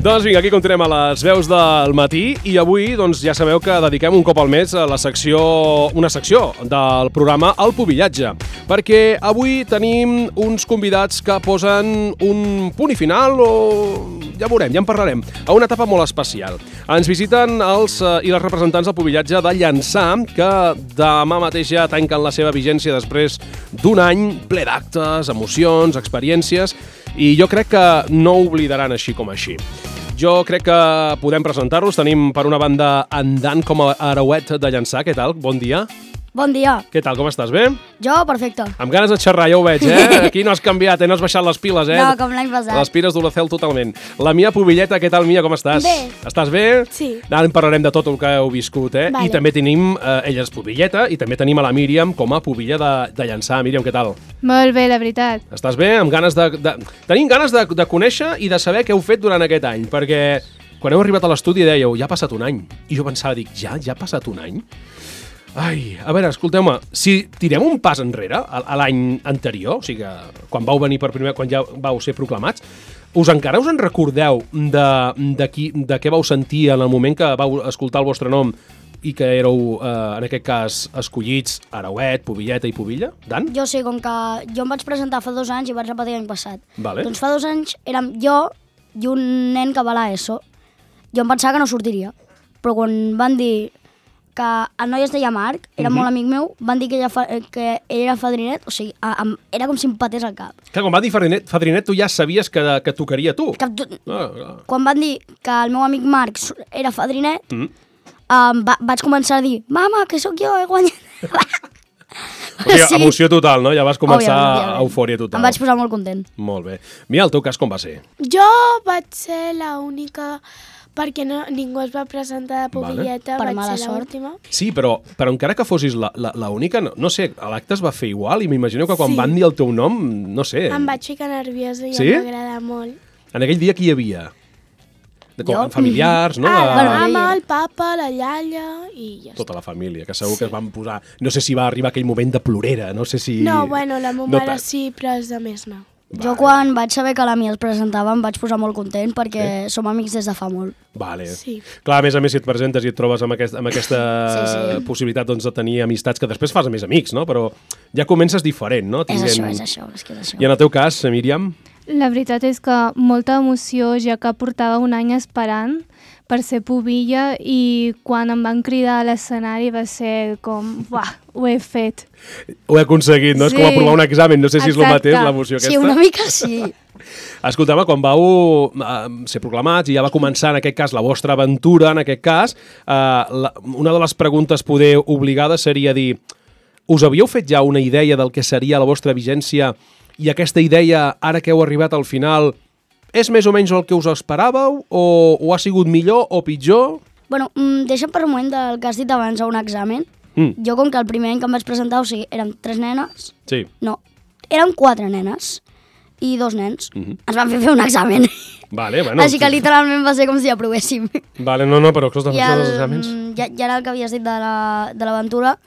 Doncs vinga, aquí continuem a les veus del matí i avui doncs, ja sabeu que dediquem un cop al mes a una secció del programa El Pubillatge, perquè avui tenim uns convidats que posen un punt i final o ja veurem, ja en parlarem, a una etapa molt especial. Ens visiten els i les representants del Pubillatge de Llançà, que demà mateix ja tanquen la seva vigència després d'un any ple d'actes, emocions, experiències, i jo crec que no oblidaran així com així. Jo crec que podem presentar-los. Tenim per una banda en Dan com a Arauet de Llançà. Què tal? Bon dia. Bon dia. Què tal? Com estàs? Bé? Jo, perfecte. Amb ganes de xerrar, ja ho veig, Aquí no has canviat, no has baixat les piles, No, com l'any passat. Les piles d'Olacel totalment. La Mia Pubilleta, què tal, Mia? Com estàs? Bé. Estàs bé? Sí. Ara en parlarem de tot el que heu viscut, Vale. I també tenim, ella és Pubilleta, i també tenim a la Míriam com a Pubilla de Llançà. Míriam, què tal? Molt bé, la veritat. Estàs bé? Amb ganes tenim ganes de conèixer i de saber què heu fet durant aquest any, perquè quan heu arribat a l'estudi dèieu, ja ha passat un any. I jo pensava, ja ha passat un any? Ai, a veure, escolteu-me, si tirem un pas enrere a l'any anterior, o sigui que quan vau venir per primer, quan ja vau ser proclamats, encara us en recordeu de què vau sentir en el moment que vau escoltar el vostre nom i que éreu, en aquest cas, escollits Arauet, Pubilleta i Pubilla? Dan? Jo sé, com que jo em vaig presentar fa 2 anys i vaig repetir l'any passat. Vale. Doncs fa 2 anys érem jo i un nen que va a l'ESO. Jo em pensava que no sortiria, però quan van dir que el noi es deia Marc, era molt amic meu, van dir que ell era fadrinet, o sigui, era com si em patés al cap. Que quan va dir fadrinet, tu ja sabies que tocaria tu. Quan van dir que el meu amic Marc era fadrinet, vaig començar a dir, mama, que sóc jo, he guanyat. O sigui, emoció total, no? Ja vas començar Òbviament. eufòria total. Em vaig posar molt content. Molt bé. Mira, el teu cas com va ser? Jo vaig ser l'única, perquè ningú es va presentar de Pubilleta, Per vaig mala ser sort. l'última. Sí, però encara que fossis l'única, no sé, l'acte es va fer igual i m'imagino que quan Sí. van dir el teu nom, no sé. Em vaig ficar nerviosa i Sí? em va agradar molt. En aquell dia qui hi havia? Jo? Familiars, no? La bueno, mama, el papa, la iaia i ja està. Tota la família, que segur que es van posar... No sé si va arribar aquell moment de plorera, no sé si... No, bueno, la meva No mare tant. sí, però els altres no. Jo quan vaig saber que la Mia es presentava em vaig posar molt content perquè som amics des de fa molt. Vale. Sí. Clar, a més, si et presentes i et trobes amb aquesta Sí. possibilitat doncs, de tenir amistats que després fas a més amics, no? Però ja comences diferent, no? És això, és que és això. I en el teu cas, Míriam? La veritat és que molta emoció, ja que portava un any esperant per ser pubilla i quan em van cridar a l'escenari va ser com, uah, ho he fet. Ho he aconseguit, no? És com Sí. aprovar un examen, no sé si és el Exacte. mateix, l'emoció aquesta. Sí, una mica sí. Escolteu-me, quan vau ser proclamats i ja va començar, en aquest cas, la vostra aventura, en aquest cas, una de les preguntes poder obligades seria dir, us havíeu fet ja una idea del que seria la vostra vigència i aquesta idea, ara que heu arribat al final, és més o menys el que us esperàveu o ha sigut millor o pitjor? Bueno, deixa'm per un moment del que has dit abans a un examen. Jo, com que el primer any que em vaig presentar, o sigui, érem 3 nenes, Sí. no, érem 4 nenes i 2 nens. Ens van fer un examen. Vale, bueno. Així que literalment va ser com si aprovéssim. Vale, no, però escolta, I els exàmens... ja era el que havies dit de l'aventura.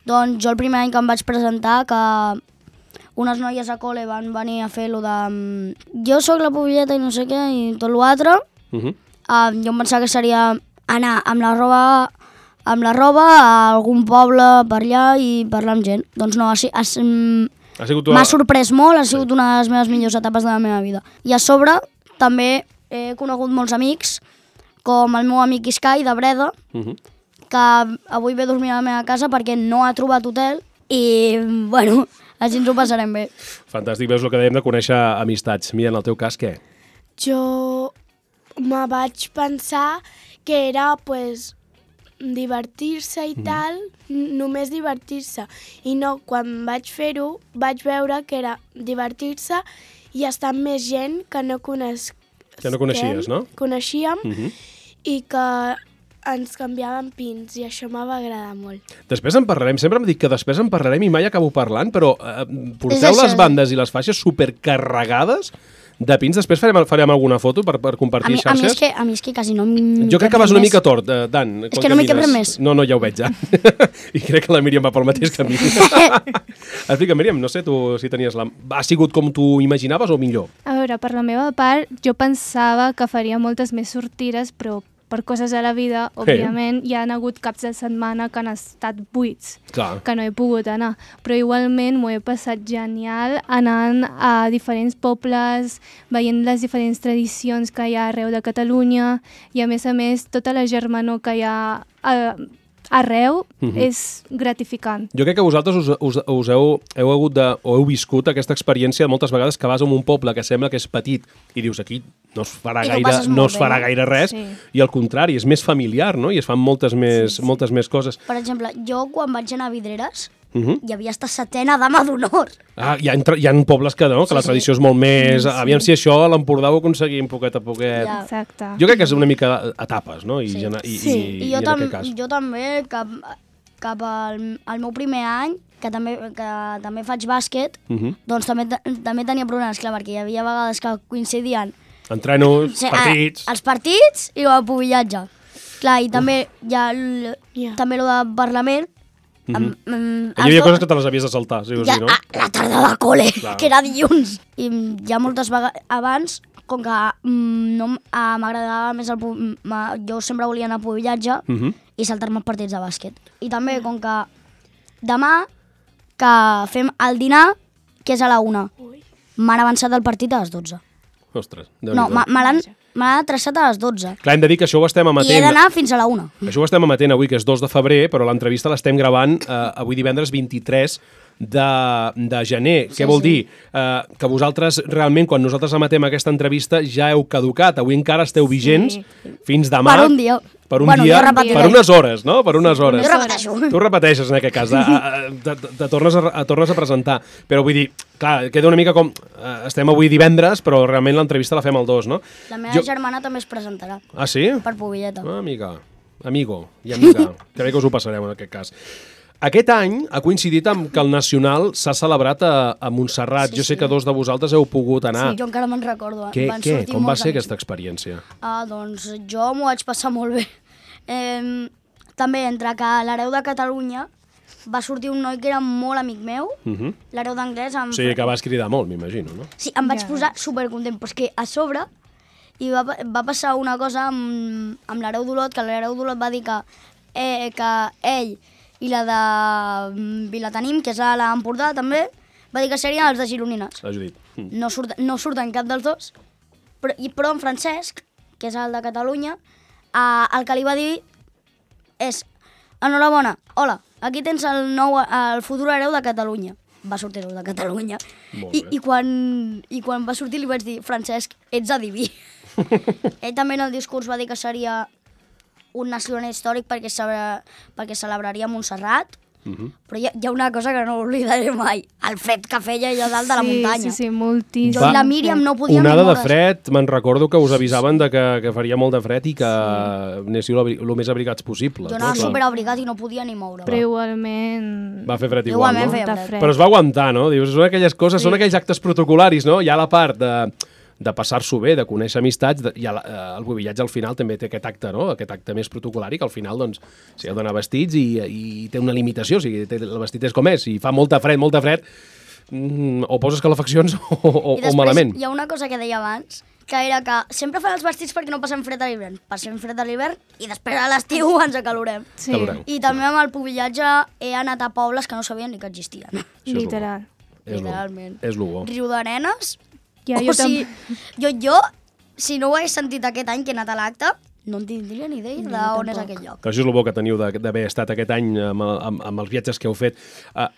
Doncs jo el primer any que em vaig presentar, que unes noies a col·le van venir a fer lo de jo sóc la Pubilleta i no sé què i tot l'altre, jo em pensava que seria anar amb la roba a algun poble per allà i parlar amb gent. Doncs no, m'ha sorprès molt, ha sigut una de les meves millors etapes de la meva vida. I a sobre també he conegut molts amics, com el meu amic Iskai de Breda, que avui ve a dormir a la meva casa perquè no ha trobat hotel i, bueno, així ens ho passarem bé. Fantàstic, veus el que dèiem de conèixer amistats. Mira, en el teu cas, què? Jo me vaig pensar que era, pues, divertir-se i tal, només divertir-se. I no, quan vaig fer-ho, vaig veure que era divertir-se i estar amb més gent que no coneixies, no? Coneixíem i que ens canviàvem pins i això m'ha agradar molt. Després en parlarem, sempre em dic que després en parlarem i mai acabo parlant, però porteu És això, les bandes i les faixes supercarregades de pins. Després farem alguna foto per compartir xarxes. A mi és que quasi no Jo crec que vas una mica tort, Dan. És que no m'hi cap res més. No, ja ho veig, ja. I crec que la Míriam va pel mateix camí. Explica, Míriam, no sé tu si tenies ha sigut com tu imaginaves o millor? A veure, per la meva part, jo pensava que faria moltes més sortides, però per coses de la vida, òbviament, hi ha hagut caps de setmana que han estat buits, que no he pogut anar. Però igualment m'ho he passat genial anant a diferents pobles, veient les diferents tradicions que hi ha arreu de Catalunya i, a més, tota la germanor que hi ha arreu és gratificant. Jo crec que vosaltres us heu viscut aquesta experiència moltes vegades que vas a un poble que sembla que és petit i dius aquí no es farà gaire res i al contrari, és més familiar, no? I es fan moltes més coses. Per exemple, jo quan vaig anar a Vidreres hi havia esta setena dama d'honor. Hi ha pobles que la tradició és molt més... Aviam si això a l'Empordà ho aconseguim poquet a poquet. Exacte. Jo crec que és una mica etapes, no? I en aquest cas. Jo també, cap al meu primer any, que també faig bàsquet, doncs també tenia problemes, clar, perquè hi havia vegades que coincidien entrenos, partits... Els partits i el pubillatge. Clar, i també hi ha també el de Parlament. Hi havia coses que te les havies de saltar, sí o sí, no? La tarda de col·le, que era dilluns. I ja moltes vegades abans, com que no m'agradava més jo sempre volia anar a pubillatge i saltar-me els partits de bàsquet. I també, com que demà que fem el dinar, que és a la 1, m'han avançat el partit a les 12. Ostres, no, me l'han traçat a les 12. Clar, hem de dir que això ho estem emetent... I he d'anar fins a la 1. Això ho estem emetent avui, que és 2 de febrer, però l'entrevista l'estem gravant avui divendres 23 de gener. Què vol dir? Que vosaltres, realment, quan nosaltres emetem aquesta entrevista, ja heu caducat. Avui encara esteu vigents fins demà. Per un dia. Per unes hores, no? Per unes hores. Jo repeteixo. Tu repeteixes en aquest cas, te tornes a presentar. Però vull dir, clar, queda una mica com... Estem avui divendres, però realment l'entrevista la fem el 2, no? La meva germana també es presentarà. Ah, sí? Per Pubilleta. Amigo i amiga. Que bé que us ho passareu en aquest cas. Aquest any ha coincidit amb que el Nacional s'ha celebrat a Montserrat. Jo sé que 2 de vosaltres heu pogut anar. Sí, jo encara me'n recordo. Com va ser aquesta experiència? Doncs jo m'ho vaig passar molt bé. També entre que a l'Hereu de Catalunya va sortir un noi que era molt amic meu, l'Hereu d'Anglès... Sí, que vas cridar molt, m'imagino, no? Sí, em vaig posar supercontent, però és que a sobre va passar una cosa amb l'Hereu d'Olot, que l'Hereu d'Olot va dir que ell i la de Vilatenim, que és a l'Empordà també, va dir que serien els de Gironines. La Judit. No surten cap dels dos, però en Francesc, que és el de Catalunya, el que li va dir és: enhorabona, hola, aquí tens el futur hereu de Catalunya. Va sortir hereu de Catalunya. I quan va sortir li vaig dir: Francesc, ets adiví. Ell també en el discurs va dir que seria un nacional històric perquè celebraria Montserrat, però hi ha una cosa que no oblidaré mai, el fred que feia allà dalt de la muntanya. Sí, moltíssim. Jo i la Míriam no podíem ni onada moure's. de fred, me'n recordo que us avisaven que faria molt de fred i que anéssiu el més abrigats possible. Jo anava superabrigat i no podia ni moure. Però igualment... Va fer fred igual, no? feia fred. Però es va aguantar, no? Dius, són aquelles coses, són aquells actes protocolaris, no? Hi ha la part de passar-s'ho bé, de conèixer amistats, i el pubillatge al final també té aquest acte, no? Aquest acte més protocolari, que al final, doncs, s'hi heu d'anar vestits i té una limitació, o sigui, el vestit és com és, i fa molta fred, o poses calefaccions o malament. I després hi ha una cosa que deia abans, que era que sempre fan els vestits perquè no passem fred a l'hivern. Passem fred a l'hivern i després a l'estiu ens acalorem. Sí. I també amb el pubillatge he anat a pobles que no sabien ni que existien. Literal. Literalment. És lo bo. Riudarenes. Ja, Jo, si no ho hagués sentit aquest any que he anat a l'acte, no en tindria ni idea d'on és aquell lloc. Que això és el bo que teniu d'haver estat aquest any amb els viatges que heu fet.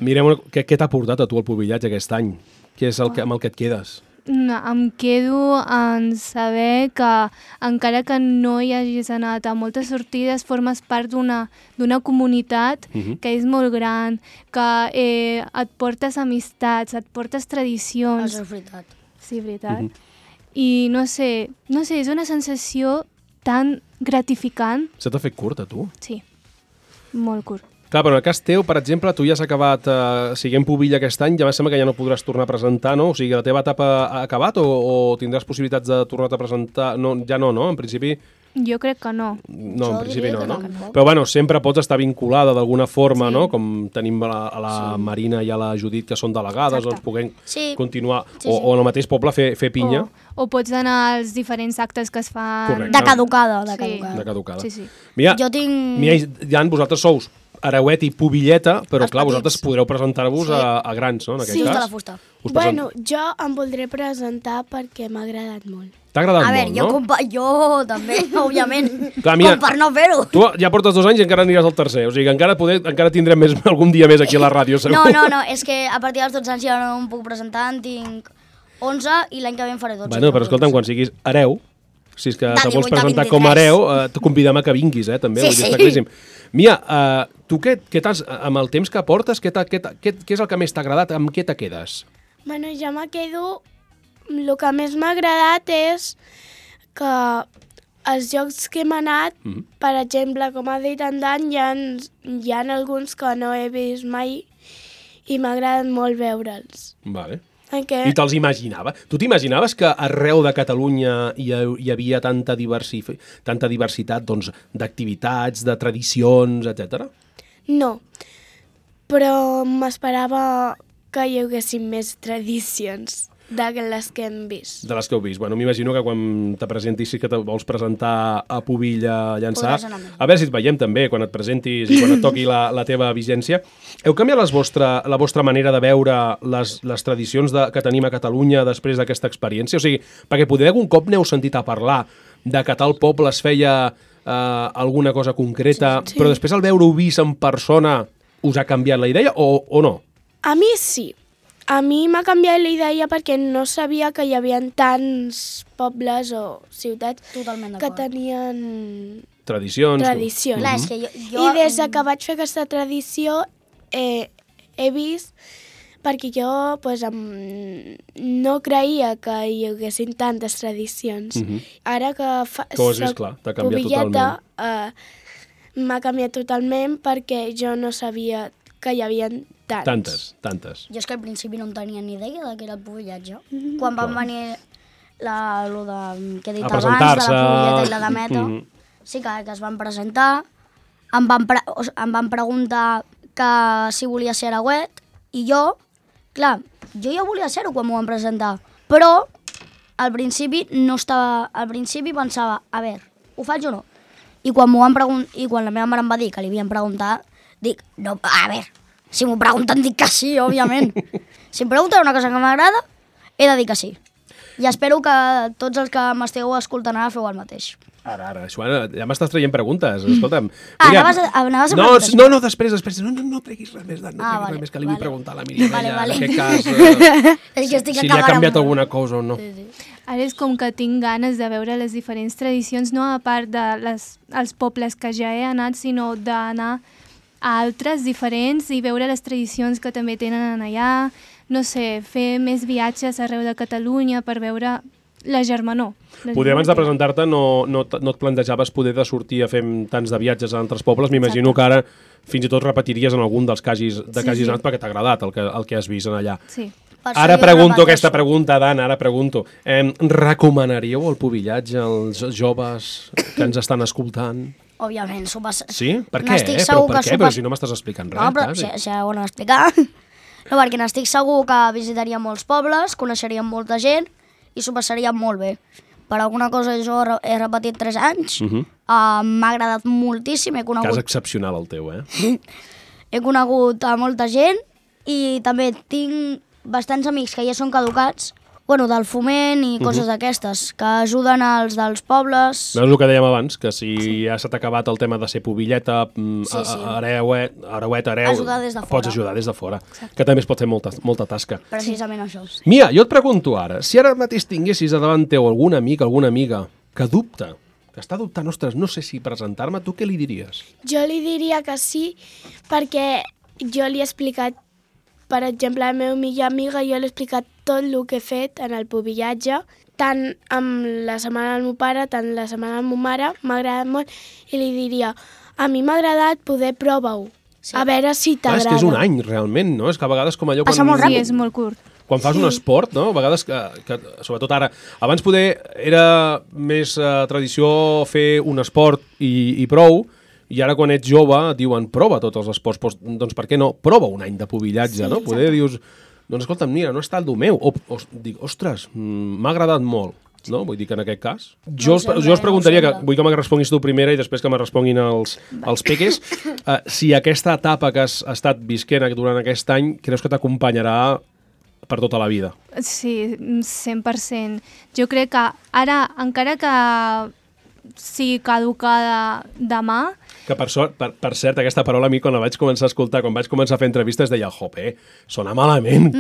Mirem, què t'ha portat a tu el pubillatge aquest any? Què és amb el que et quedes? No, em quedo en saber que encara que no hi hagis anat a moltes sortides, formes part d'una comunitat que és molt gran, que et portes amistats, et portes tradicions. Això és veritat. Sí, veritat. I no sé, és una sensació tan gratificant. Se t'ha fet curt, a tu? Sí, molt curt. Clar, però en el cas teu, per exemple, tu ja has acabat siguent pubilla aquest any, ja em sembla que ja no podràs tornar a presentar, no? O sigui, la teva etapa ha acabat o tindràs possibilitats de tornar-te a presentar? No, ja no, en principi... Jo crec que no. No, en principi no. Però bueno, sempre pots estar vinculada d'alguna forma, no? Com tenim a la Marina i a la Judit, que són delegades, doncs puguem continuar, o en el mateix poble fer pinya. O pots anar als diferents actes que es fan... Correcte. De caducada. De caducada. Sí. Mira, jo tinc... Jan, vosaltres sous Arauet i Pubilleta, però clar, vosaltres podreu presentar-vos a grans, no?, en aquest cas. De la fusta. Bueno, jo em voldré presentar perquè m'ha agradat molt. T'ha agradat molt, no? Jo també, òbviament, clar, mira, com per no fer-ho. Tu ja portes 2 anys i encara aniràs al tercer, o sigui que encara tindrem algun dia més aquí a la ràdio, segur. No, és que a partir dels 12 anys ja no em puc presentar, en tinc 11 i l'any que ve en faré 12. Bueno, però escolta'm, quan siguis hereu, si és que te vols presentar com a hereu, te convidem a que vinguis, també, sí. Està claríssim. Mia, tu què t'has, amb el temps que portes, què és el que més t'ha agradat, amb què te quedes? Bueno, jo me quedo... El que més m'ha agradat és que els jocs que hem anat, per exemple, com ha dit en Dan, hi ha alguns que no he vist mai i m'ha agradat molt veure'ls. Vale. I te'ls imaginava? Tu t'imaginaves que arreu de Catalunya hi havia tanta diversitat d'activitats, de tradicions, etc? No, però m'esperava que hi haguessin més tradicions de les que hem vist. De les que heu vist. Bueno, m'imagino que quan te presentis, si que te vols presentar a Pubilla a llançar, a veure si et veiem també quan et presentis i quan et toqui la teva vigència. Heu canviat la vostra manera de veure les tradicions que tenim a Catalunya després d'aquesta experiència? O sigui, perquè poder algun cop n'heu sentit a parlar de que tal poble es feia alguna cosa concreta, però després al veure-ho vist en persona us ha canviat la idea o no? A mi sí. A mi m'ha canviat la idea perquè no sabia que hi havia tants pobles o ciutats que tenien... Tradicions. Clar, és que I des que vaig fer aquesta tradició he vist, perquè jo no creia que hi haguessin tantes tradicions. Ara que ho has vist, clar, t'ha canviat totalment. M'ha canviat totalment perquè jo no sabia que hi havia tantes. Jo és que al principi no en tenia ni idea que era el pubillatge. Quan van venir que he dit abans, de la pubilleta i la dameta, sí que es van presentar, em van preguntar que si volia ser arauet, i jo ja volia ser-ho quan m'ho van presentar, però al principi pensava, a veure, ho faig o no? I quan la meva mare em va dir que li havien preguntat, dic, no, a veure, si m'ho pregunten dic que sí, òbviament. Si em pregunten una cosa que m'agrada, he de dir que sí. I espero que tots els que m'esteu escoltant ara feu el mateix. Ara, Joana, ja m'estàs traient preguntes, escolta'm. Anaves a preguntar. No, després. No treguis res més, Dan, no treguis res més, que li vull preguntar a la Míriam, en aquest cas, si li ha canviat alguna cosa o no. Ara és com que tinc ganes de veure les diferents tradicions, no a part dels pobles que ja he anat, sinó d'anar a altres diferents i veure les tradicions que també tenen allà, no sé, fer més viatges arreu de Catalunya per veure la germanor. Poder abans de presentar-te no et plantejaves poder de sortir a fer tants de viatges a altres pobles, m'imagino que ara fins i tot repetiries en algun dels que hagis anat perquè t'ha agradat el que has vist allà. Sí. Ara pregunto aquesta pregunta, Dan, recomanaríeu el pubillatge als joves que ens estan escoltant? Òbviament. Sí? Per què? Però si no m'estàs explicant res. No, però si ho han explicat. No, perquè n'estic segur que visitaríem molts pobles, coneixeríem molta gent i s'ho passaríem molt bé. Per alguna cosa jo he repetit 3 anys, m'ha agradat moltíssim. Cas excepcional el teu, He conegut a molta gent i també tinc bastants amics que ja són caducats, del foment i coses d'aquestes, que ajuden els dels pobles. Veus el que dèiem abans, que si ja s'ha acabat el tema de ser pubilleta, arauet, pots ajudar des de fora, que també es pot fer molta tasca. Precisament això. Mia, jo et pregunto ara, si ara mateix tinguessis davant teu algun amic, alguna amiga que dubta, que està dubtant, ostres, no sé si presentar-me, tu què li diries? Jo li diria que sí, perquè jo li he explicat, per exemple, al meu millor amiga, jo l'he explicat tot el que he fet en el pubillatge, tant amb la setmana del meu pare, tant la setmana de la meva mare, m'ha agradat molt, i li diria, a mi m'ha agradat, poder prova-ho. A veure si t'agrada. És que és un any, realment, no? És que a vegades com allò... Passa molt ràpid. Sí, és molt curt. Quan fas un esport, no? A vegades, que sobretot ara... Abans poder era més tradició fer un esport i prou, i ara quan ets jove et diuen prova tots els esports, doncs per què no? Prova un any de pubillatge, no? Poder dius, doncs escolta'm, mira, no està el do meu. Dic, ostres, m'ha agradat molt. No? Vull dir que en aquest cas... Jo us preguntaria, que vull que me responguis tu primera i després que me responguin els peques, si aquesta etapa que has estat visquent durant aquest any creus que t'acompanyarà per tota la vida. Sí, 100%. Jo crec que ara, encara que sigui caducada demà... Que per cert, aquesta paraula a mi quan la vaig començar a escoltar, quan vaig començar a fer entrevistes, deia, jope, sona malament.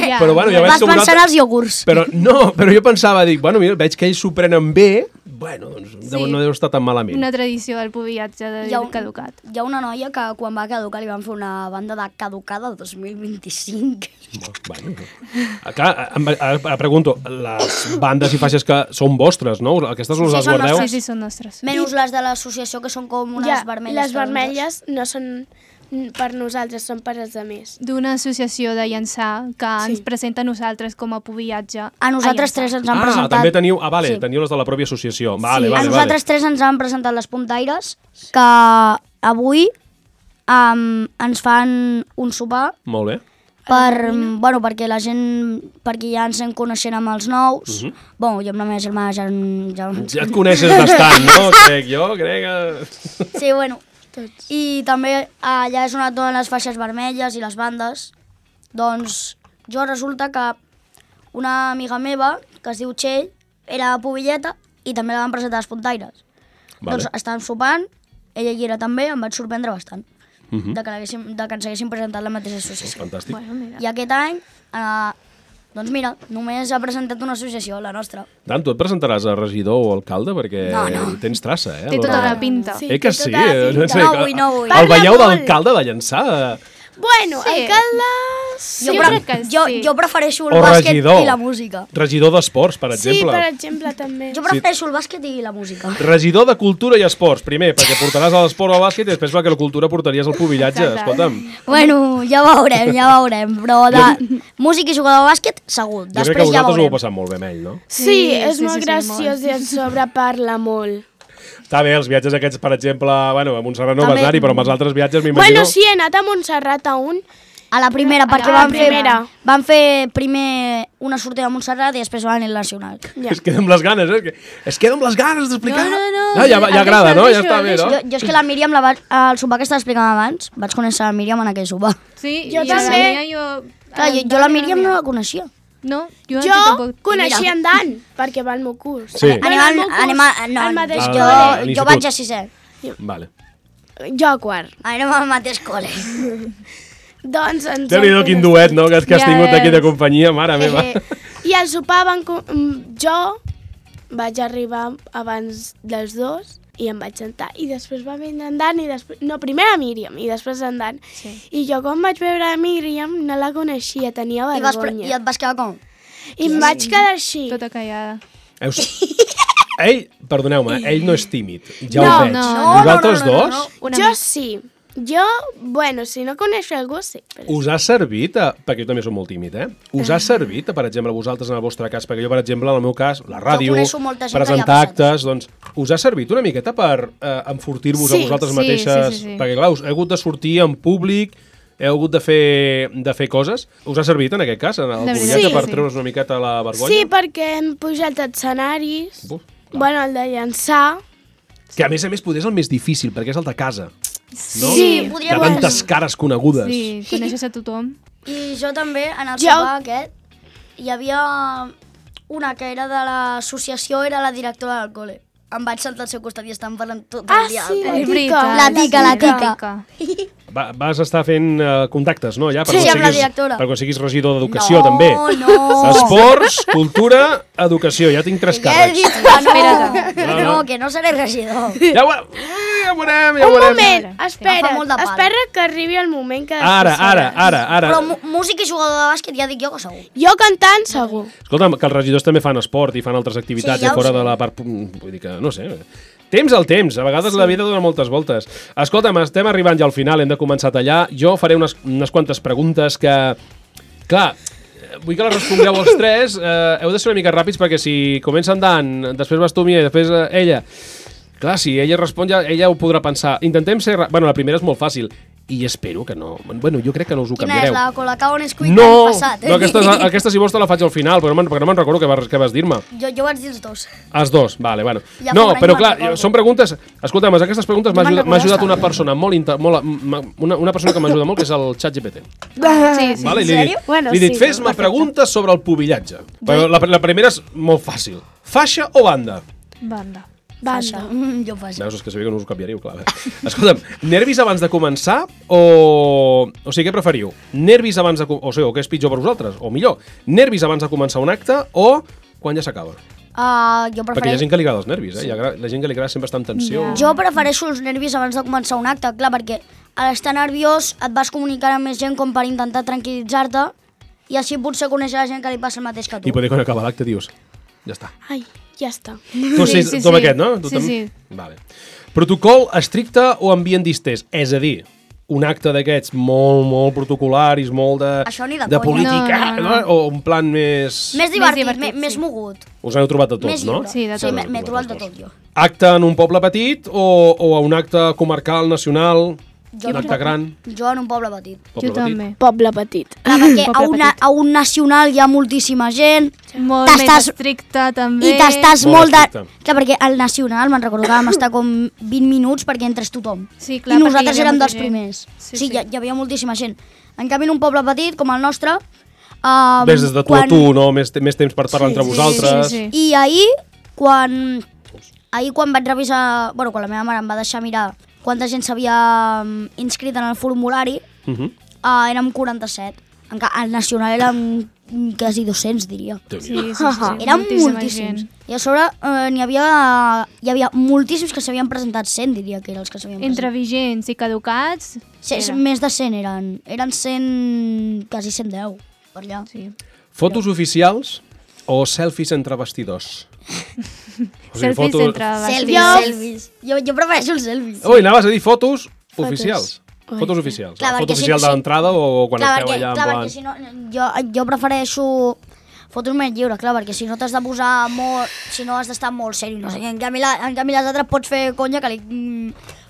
Ja. Però bueno, ja Vas pensar en els iogurts. Però jo pensava, dic, bueno, mira, veig que ells s'ho prenen bé, bueno, doncs no deu estar tan malament. Una tradició del pubillatge de caducat. Hi ha una noia que quan va caducar li van fer una banda de caducada 2025. Bueno, clar, ara pregunto, les bandes i faixes que són vostres, no? Aquestes us les guardeu? Sí, són nostres. Menys les de l'associació, que són com unes vermelles. Les vermelles no són per nosaltres, són per als altres. D'una associació de llançar que ens presenta a nosaltres com a pubillatge. A nosaltres tres ens han presentat... també teniu... Teniu les de la pròpia associació. Vale. A nosaltres tres ens han presentat les puntaires, que avui ens fan un sopar. Molt bé. Perquè la gent, perquè ja ens en coneixent amb els nous. Jo amb la meva germana ja et coneixes bastant, no? Crec que... Sí, bueno. I també allà és on et donen les faixes vermelles i les bandes. Doncs jo resulta que una amiga meva, que es diu Txell, era pubilleta i també la van presentar les puntaires. Doncs estàvem sopant, ella hi era també, em vaig sorprendre bastant. De que ens haguessin presentat la mateixa associació. Fantàstic. I aquest any, doncs mira, només ha presentat una associació, la nostra. Dan, tu et presentaràs a regidor o alcalde perquè tens traça, eh? Té tota la pinta. Que sí? No vull. El veieu d'alcalde de Llançà? Bueno, alcaldes... Jo prefereixo el bàsquet i la música. Regidor d'esports, per exemple. Sí, per exemple, també. Jo prefereixo el bàsquet i la música. Regidor de cultura i esports, primer, perquè portaràs a l'esport o al bàsquet i després perquè la cultura portaries al pubillatge, escolta'm. Bueno, ja veurem, però de música i jugador de bàsquet, segur. Jo crec que vosaltres ho heu passat molt bé amb ell, no? Sí, és molt graciós i a sobre parla molt. Està bé, els viatges aquests, per exemple, a Montserrat no vas anar-hi, però amb els altres viatges m'imagino... Bueno, sí, he anat a Montserrat a un... A la primera, perquè van fer primer una sortida a Montserrat i després van anar al Nacional. Es queda amb les ganes, eh? Es queda amb les ganes d'explicar. No. Ja agrada, no? Ja està bé, no? Jo és que la Míriam, el sopar que estava explicant abans, vaig conèixer la Míriam en aquell sopar. Sí, jo també. Jo la Míriam no la coneixia. No, jo coneixia en Dan, perquè va al meu curs. Sí. Jo vaig a 6è. Vale. Jo a 4. Anem al mateix col·le. Doncs ens... Déu-n'hi-do quin duet, no?, que has tingut aquí de companyia, mare meva. I al sopar jo vaig arribar abans dels dos i em vaig sentar. I després va vindre en Dan i després... No, primer a Míriam i després en Dan. Sí. I jo quan vaig veure a Míriam no la coneixia, tenia vergonya. I et vas quedar com? I em vaig quedar així. Tota callada. Ell, perdoneu-me, ell no és tímid, ja ho veig. Vosaltres dos? Jo sí. Jo, si no coneixo algú, sí. Us ha servit, perquè jo també soc molt tímid, us ha servit, per exemple, vosaltres en el vostre cas, perquè jo, per exemple, en el meu cas, la ràdio, presentar actes, doncs, us ha servit una miqueta per enfortir-vos a vosaltres mateixes? Sí. Perquè, clar, heu hagut de sortir en públic, heu hagut de fer coses. Us ha servit, en aquest cas, en el pubillatge, per treure's una miqueta la vergonya? Sí, perquè hem pujat a escenaris, el de llançar... Que a més podria ser el més difícil, perquè és el de casa. No? Sí, de tantes cares conegudes. Sí, coneixes a tothom. I jo també, en el sopar aquest, hi havia una que era de l'associació, era la directora del col·le. Em vaig sentar al seu costat i estàvem parlant tot el dia. Sí, la tica. Vas estar fent contactes, no? Ja, sí, amb la directora. Per quan siguis regidor d'educació, també. No. Esports, cultura, educació. Ja tinc 3 càrrecs. No, que no seré regidor. Ja ho veurem. Un moment, espera que arribi el moment que... Ara. Però música i jugador de bàsquet ja dic jo que segur. Jo cantant, segur. Escolta'm, que els regidors també fan esport i fan altres activitats fora de la part... Vull dir que, no sé... Temps al temps, a vegades la vida dona moltes voltes. Escolta'm, estem arribant ja al final, hem de començar a tallar. Jo faré unes quantes preguntes que... Clar, vull que les respongueu els tres. Heu de ser una mica ràpids perquè si comença en Dan, després vas tu, Mia, i després ella... Clar, si ella respon, ja ella ho podrà pensar. Intentem ser... Bueno, la primera és molt fàcil. I espero que no... Bueno, jo crec que no us ho canviareu. Quina és la Colacao Nesquik no, l'any passat? No, aquesta si vols te la faig al final, però no me'n recordo què vas dir-me. Jo vaig dir els dos. Els dos, vale, bueno. Ja No, però me'n clar, recordo. són preguntes... Escolta'm, aquestes preguntes m'ha ajudat una també. persona una persona que m'ajuda molt, que és el ChatGPT. Sí, sí. Vale? En sèrio? Bueno, li he dit, sí, fes-me preguntes sobre el pubillatge. Però la primera és molt fàcil. Faixa o banda? Banda. Banda. Jo faig. Veus, és que sabia que no us ho canviaríeu, clar. Escolta'm, nervis abans de començar o sigui, què preferiu? Nervis abans de... O sigui, o què és pitjor per vosaltres? O millor, nervis abans de començar un acte o quan ja s'acaba? Jo Perquè hi ha prefereixo... gent que li agrada els nervis, eh? La gent que li agrada sempre estar en tensió. Jo prefereixo els nervis abans de començar un acte, clar, perquè a l'estar nerviós et vas comunicar amb més gent com per intentar tranquil·litzar-te i així potser conèixer la gent que li passa el mateix que tu. I poder quan acaba l'acte dius, ja està. Ai, ja està. Tu Sí, sí, sí, tu amb sí. aquest, no? Tu Sí, sí. Vale. Protocol estricte o ambient distès? És a dir, un acte d'aquests molt protocolaris, molt de... Això ni de de conya. política, No. O un plan més... Més divertit, divertit, més sí. mogut. Us n'heu trobat de tots, Més no? lliure. Sí, de tot. M'he trobat de tot, jo. Acte en un poble petit o a un acte comarcal, nacional, un acte gran? Jo en un poble petit. Poble Jo també. Poble petit. Clar, perquè Poble petit. a un nacional hi ha moltíssima gent Molt més T'estàs- estricte, també. i t'estàs Molt molt de... estricte. Clar, perquè al nacional me'n recordo que vam estar com 20 minuts perquè entres tothom. Sí, clar, I perquè nosaltres hi havia érem molta dels gent. primers. Sí, Sí, sí. Hi havia moltíssima gent. En canvi, en un poble petit com el nostre... Ves des de tu a tu, no? Més temps per parlar entre sí, vosaltres. sí. I quan vaig revisar... Bueno, quan la meva mare em va deixar mirar quanta gent s'havia inscrit en el formulari, érem 47. Al nacional érem quasi 200, diria. Sí, sí, sí. Eren Moltíssima moltíssims. gent. I a sobre hi havia moltíssims que s'havien presentat, 100 diria que eren els que s'havien Entre presentat. vigents i caducats... era. Més de 100 eren. Eren 100, quasi 110 per allà. Sí. Fotos oficials o selfies entre vestidors? Selfies entre Selfies. Jo prefereixo els selfies. Ui, anaves a dir fotos oficials. Ui. Fotos oficials. Clar, La foto perquè oficial si- de l'entrada o quan esteu allà en clar, plan... perquè si no, jo prefereixo fotos més lliures, clar, perquè si no t'has de posar molt, si no has d'estar molt seri, no sé, en canvi les altres pots fer conya,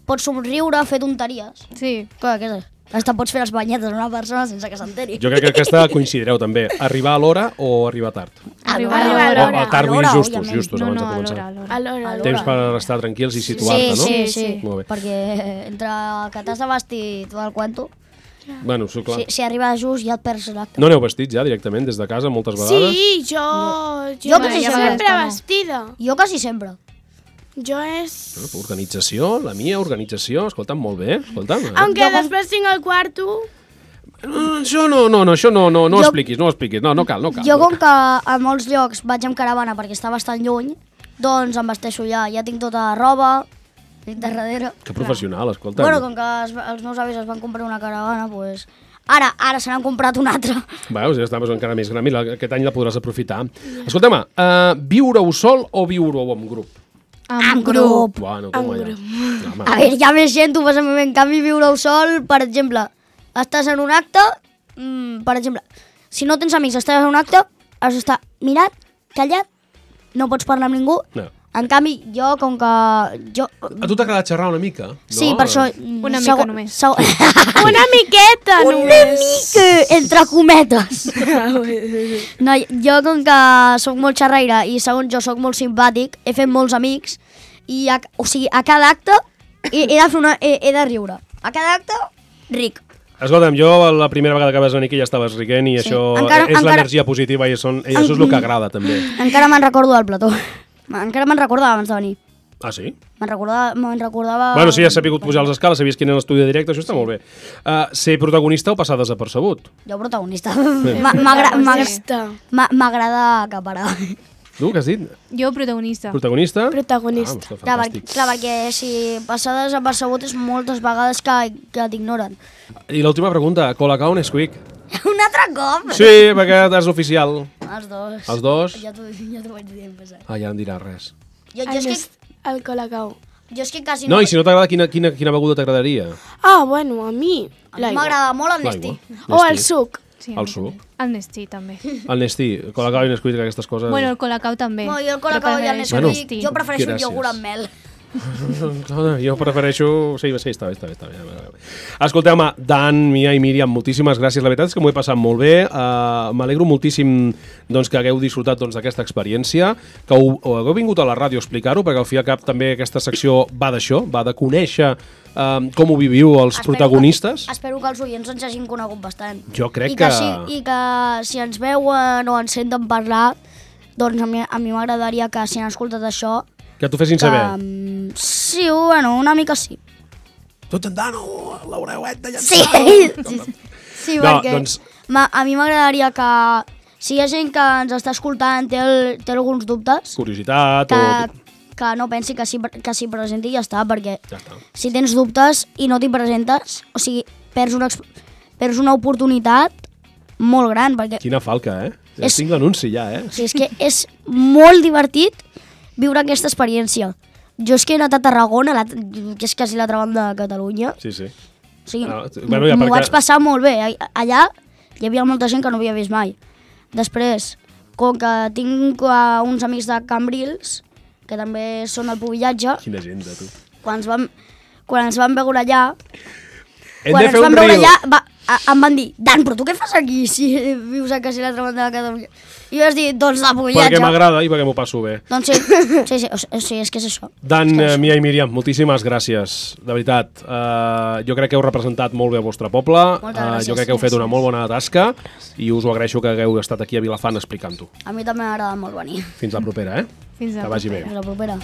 pots somriure, fer tonteries. Sí. Clar, què és? Hasta pots fer les banyetes a una persona sense que s'enteri. Jo crec que aquesta coincidireu també. Arribar a l'hora o arribar tard? Arribar a O l'hora. tard, vull dir justos, òbviament. justos, No, abans no, de a començar. l'hora, a l'hora. A l'hora. l'hora. Temps per estar tranquils i situar-te, no? Sí. Molt bé. Perquè entre que t'has de vestir tot el cuento, Bueno, sí, clar. si arribes just ja et perds l'acte. No aneu vestits ja directament des de casa moltes vegades? Sí, jo quasi sempre sempre. vestida. Jo quasi sempre. Jo és... Bueno, organització, la mia organització, escolta'm, molt bé, escolta'm. Aunque després tinc el quarto... Això no expliquis, no expliquis, no cal. Jo com que a molts llocs vaig amb caravana perquè està bastant lluny, doncs em vesteixo ja tinc tota la roba, tinc de darrere. Que professional, escolta'm. Bueno, com que els meus avis es van comprar una caravana, doncs... Ara se n'han comprat una altra. Veus, ja estaves encara més gran, mira, aquest any la podràs aprofitar. Escolta'm, viure-ho sol o viure-ho en grup? En grup. Bueno, En com allà. grup. No, home. A veure, hi ha més gent, tu fas en canvi viure-ho sol, per exemple, estàs en un acte, per exemple, si no tens amics, estàs en un acte, has d'estar mirat, callat, no pots parlar amb ningú. No. En canvi, jo, com que... A tu t'agrada xerrar una mica? Sí, no? per això... Una mica només. Una miqueta, Una només. mica, entre cometes. No, jo com que sóc molt xerraire i segons jo sóc molt simpàtic, he fet molts amics i a cada acte he de riure. A cada acte, ric. Escolta'm, jo la primera vegada que vas venir aquí ja estaves riguent i Sí. això Encara- és encara- l'energia positiva i això és el que agrada també. Encara me'n recordo del plató. Encara me'n recordava abans de venir. Ah, sí? Me'n recordava... Bueno, si has sabut pujar les escales, sabies quin era l'estudi de directe, això està molt bé. Ser protagonista o passar desapercebut? Jo protagonista. Protagonista. M'agrada acaparar. Tu, què has dit? Jo, protagonista. Protagonista? Protagonista. Ah, Clar, fantàstic. perquè si passar desapercebut és moltes vegades que t'ignoren. I l'última pregunta, Colacao o Nesquik? Un altre cop? Sí, perquè és oficial. Els dos. Els dos? Ja t'ho vaig dir en passat. Ah, ja no em diràs res. El Colacao. Jo és que quasi no... No, i si no t'agrada, quina beguda t'agradaria? Bueno, a mi l'aigua. M'agrada molt el Nestí. O el suc. Sí, el suc. El Nestí, també. El Nestí, Colacao i Nesquik, aquestes coses... Bueno, el Colacao també. No, jo el Colacao i el Nesquik, jo prefereixo el iogurt amb mel. Jo prefereixo... Sí, està bé. Escolteu, home, Dan, Mia i Míriam, moltíssimes gràcies. La veritat és que m'ho he passat molt bé. M'alegro moltíssim que hagueu disfrutat d'aquesta experiència, que hagueu vingut a la ràdio a explicar-ho, perquè al fi i al cap també aquesta secció va d'això, va de conèixer com ho viviu els protagonistes. Espero que els oients ens hagin conegut bastant. Jo crec que... I que si ens veuen o ens senten parlar, doncs a mi m'agradaria que si han escoltat això... Que t'ho fessin saber. Sí, bueno, una mica sí. Tots andant, l'Aureuet de llançar. Sí, perquè a mi m'agradaria que si hi ha gent que ens està escoltant, té alguns dubtes... Curiositat que no pensi que s'hi presenti i ja està, perquè si tens dubtes i no t'hi presentes, o sigui, perds una oportunitat molt gran, perquè... Quina falca, tinc l'anunci ja, Sí, és que és molt divertit viure aquesta experiència. Jo és que he anat a Tarragona, que és quasi l'altra banda de Catalunya. Sí. O sigui, m'ho vaig passar molt bé. Allà hi havia molta gent que no havia vist mai. Després, com que tinc uns amics de Cambrils, que també són al Pubillatge. Quina gent, de tu. Quan ens vam veure allà... Em van dir, Dan, però tu què fas aquí si vius a quasi l'altra banda de Catalunya? I jo vaig dir, doncs de Pubillatge. Perquè m'agrada i perquè m'ho passo bé. Doncs sí, és que és això. Dan, Mia i Míriam, moltíssimes gràcies. De veritat, jo crec que heu representat molt bé el vostre poble. Jo crec que heu fet una molt bona tasca i us ho agraeixo que hagueu estat aquí a Vilafant explicant-ho. A mi també m'agrada molt venir. Fins la propera, Fins la propera. Que vagi bé. Fins la propera.